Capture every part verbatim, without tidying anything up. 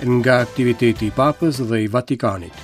Nga aktiviteti i Papës dhe i Vatikanit.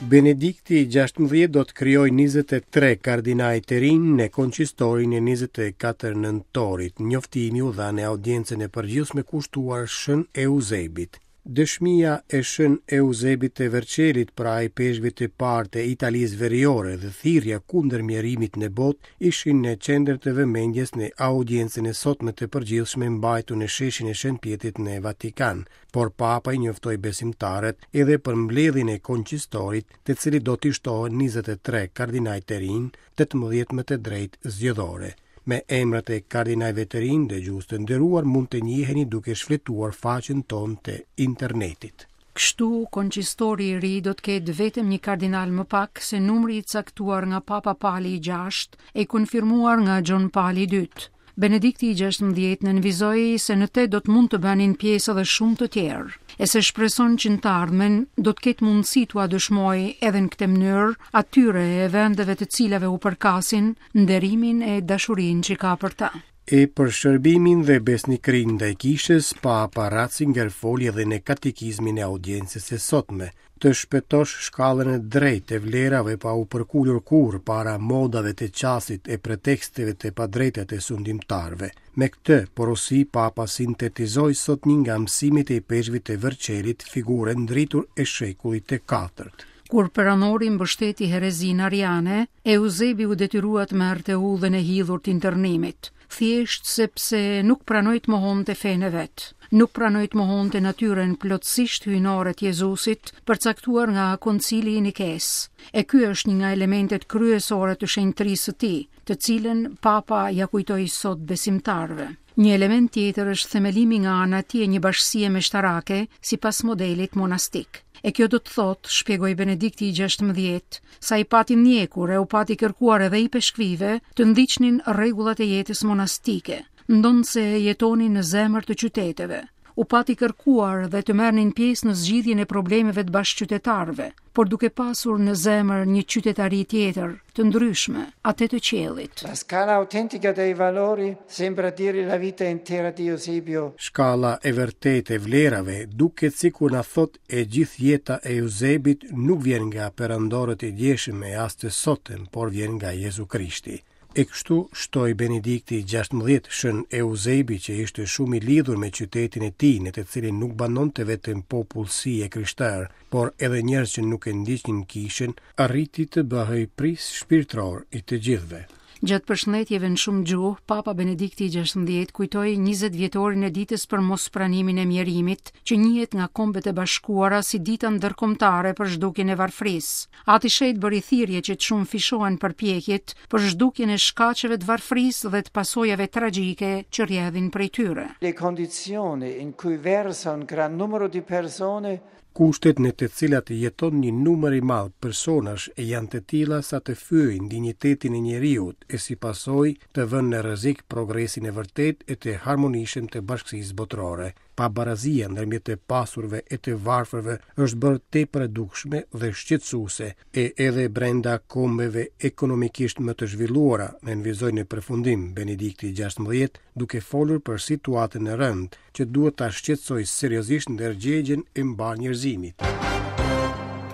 Benedikti i gjashtëmbëdhjetë do të krijojë njëzet e tre kardinaj të rinj në konsistorin e njëzet e katër nëntorit. Njoftimi u dha në audiencën e përgjithshme kushtuar Shën Eusebit. Dëshmia e Shën Eusebit të Verçelit, pra ipeshkvit të parë të Italisë Veriore, dhe thirrja kundër mjerimit në botë ishin në qendër të vëmendjes në audiencën e sotme të përgjithshme mbajtur në sheshin e Shën Pjetrit në Vatikan, por Papa i njoftoi besimtarët edhe për mbledhjen e konsistorit, të cilit do t'i shtohen njëzet e tre kardinaj të rinj, tetëmbëdhjetë me të drejtë zgjedhore. Me emrat e kardinajve të rinj, dëgjues të nderuar, mund të njiheni duke shfletuar faqen tonë të internetit. Kështu, koncistori i ri do të ketë vetëm një kardinal më pak se numri i caktuar nga Papa Pali i gjashtë e i konfirmuar nga Gjon Pali i dytë. Benedikti i gjashtëmbëdhjetë nënvizoi se në te do të mund të bënin pjesë edhe shumë të tjerë, e se shpreson që në të ardhmen do të ketë mundësi t'ua dëshmojë edhe në këtë mënyrë atyre e vendeve të cilave u përkasin nderimin e dashurinë që ka për ta. E për shërbimin dhe besnikërinë ndaj kishës, Papa Ratzinger foli edhe në katekizmin e audiencës së sotme. Të shpëtosh shkallën e drejtë të vlerave pa u përkulur kurrë para modave të çastit e preteksteve të padrejta të sundimtarëve. Me këtë porosi Papa sintetizoi sot një nga mësimet e ipeshkvit të Verçelit, figurë ndritur e shekullit të katërt. Kur peranori mbështeti herezinë ariane, Eusebi u detyrua të merrte udhën e hidhur të internimit, thjesht sepse nuk pranoi të mohonte fenë e vet, nuk pranoi të mohonte natyrën plotësisht hyjnore të Jezusit, përcaktuar nga Koncili i Nikes. E ky është një nga elementet kryesore të shenjtërisë së tij, të cilën Papa ja kujtoi sot besimtarëve. Një element tjetër është themelimi nga ana e tij e një bashkësie meshtarake sipas modelit monastik. E kjo do të thotë, shpjegoi Benedikti i gjashtëmbëdhjetë, sa i pati ndjekur e u pati kërkuar edhe i peshkvive të ndiqnin rregullat e jetës monastike, ndonëse jetonin në zemër të qyteteve. U pati kërkuar dhe të merrnin pjesë në zgjidhjen e problemeve të bashkëqytetarëve, por duke pasur në zemër një qytetari tjetër, të ndryshme, atë të qiellit. La scala autentica dei valori sembra dire la vita intera di Eusebio. Shkalla e vërtetë e vlerave duket sikur na thot e gjithë jeta e Eusebit nuk vjen nga perandorët e djeshëm e as të sotëm, por vjen nga Jezu Krishti. E kështu shtoi Benedikti i gjashtëmbëdhjetë, Shën Eusebi, që ishte shumë i lidhur me qytetin e tij, në të cilin nuk banonte vetëm popullsi e krishterë, por edhe njerëz që nuk e ndiqnin kishën, arriti të bëhej pris shpirtëror i të gjithëve. Gjatë përshëndetjeve në shumë gjuhë, Papa Benedikti i gjashtëmbëdhjetë kujtoi njëzet vjetorin e ditës për mospranimin e mjerimit, që njihet nga Kombet e Bashkuara si dita ndërkombëtare për zhdukjen e varfërisë. Ati Shenjt bëri thirrje që të shumëfishohen përpjekjet për zhdukjen e shkaqeve të varfërisë dhe të pasojave tragjike që rrjedhin prej tyre. Le condizioni in cui versa un gran numero di persone. Kushtet në të cilat jeton një numër i madh personash janë të tilla sa të fyejnë dinjitetin e njeriut e si pasojë të vënë në rrezik progresin e vërtetë e të harmonishëm të bashkësisë botërore. Pabarazia ndërmjet të pasurve e të varfërve është bërë tepër e dukshme dhe shqetësuese, e edhe brenda kombeve ekonomikisht më të zhvilluara, nënvizoi në përfundim Benedikti i gjashtëmbëdhjetë, duke folur për situatën e rëndë që duhet ta shqetësojë seriozisht ndërgjegjen e mbarë njerëzimit.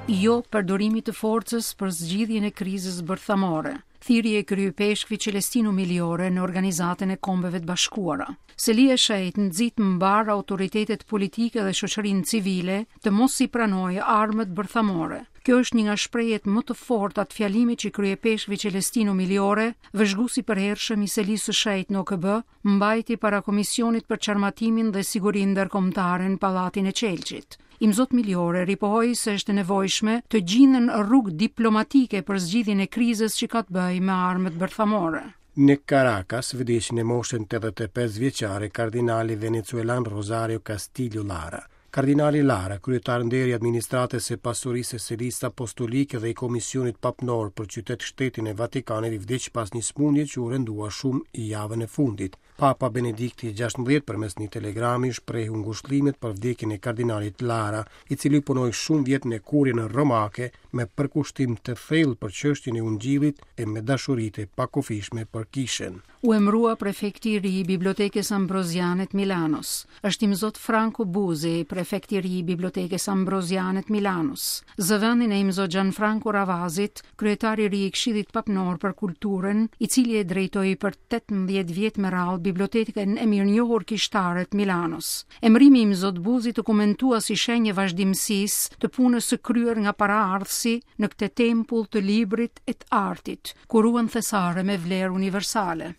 Jo përdorimit të forcës për zgjidhjen e krizës bërthamore. Thirrje e kryepeshkvit Celestino Migliore në Organizatën e Kombeve të Bashkuara. Selia e Shenjtë nxit mbar autoritetet politike dhe shoqërinë civile të mos i pranojë armët bërthamore. Kjo është një nga shprehjet më të forta të fjalimit që kryepeshkvi Celestino Migliore, vëzhguesi i përhershëm i Selisë së Shenjtë në O K B, mbajti para Komisionit për Çarmatimin dhe Sigurinë Ndërkombëtare në Pallatin e Çelçit. Imzot Migliore ripohoi se është e nevojshme të gjinden rrugë diplomatike për zgjidhjen e krizës që ka të bëjë me armët bërthamore. Në Caracas vdiq në moshën tetëdhjetë e pesë vjeçare kardinali venezuelan Rosario Castillo Lara. Kardinali Lara, kryetar nderi i administratës së pasurisë së Selisë Apostolike dhe i Komisionit Papnor për qytet shtetin e Vatikanit, vdiq pas një sëmundje që u rëndua shumë i javën e fundit. Papa Benedikti i gjashtëmbëdhjetë përmes një telegrami shprehu ngushëllimet për vdekjen e kardinalit Lara, i cili punoi shumë vjet në kurjen romake me përkushtim të thellë për çështjen e Ungjillit e me dashuri të pakufishme për kishën. U emërua prefekti i ri i Bibliotekës Ambroziane të Milanos. Është Imzot Franco Buzi, prefekti i ri i Bibliotekës Ambroziane të Milanos. Zë vendin e Imzot Gianfranco Ravazit, kryetari i ri i Këshillit Papnor për Kulturën, i cili e drejtoi për tetëmbëdhjetë vjet me radhë bibliotekën e mirënjohur kishtare të Milanos. Emërimi i Imzot Buzit u komentua si shenjë e vazhdimësisë të punës së kryer nga paraardhësi në këtë tempull të librit e të artit, ku ruhen thesare me vlerë universale.